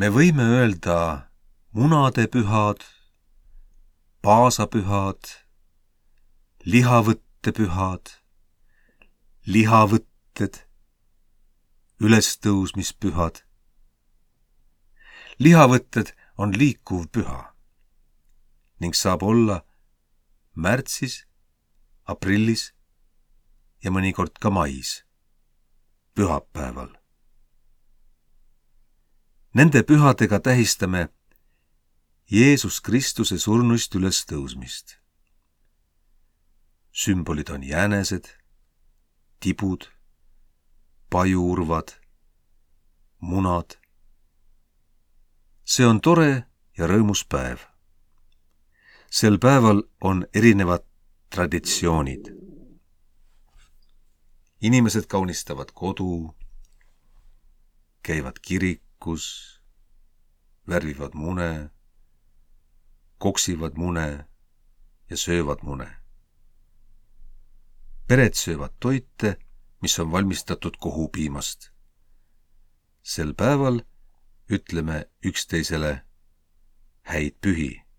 Me võime öelda munadepühad, paasapühad, lihavõttepühad, lihavõtted, ülestõusmispühad. Lihavõtted on liikuv püha ning saab olla märtsis, aprillis ja mõnikord ka mais, pühapäeval. Nende pühadega tähistame Jeesus Kristuse surnuist ülestõusmist. Sümbolid on jänesed, tibud, pajuurvad, munad. See on tore ja rõõmus päev. Sel päeval on erinevad traditsioonid. Inimesed kaunistavad kodu, käivad kirikus, värvivad mune, koksivad mune ja söövad mune. Pered söövad toite, mis on valmistatud kohupiimast. Sel päeval ütleme üksteisele häid pühi.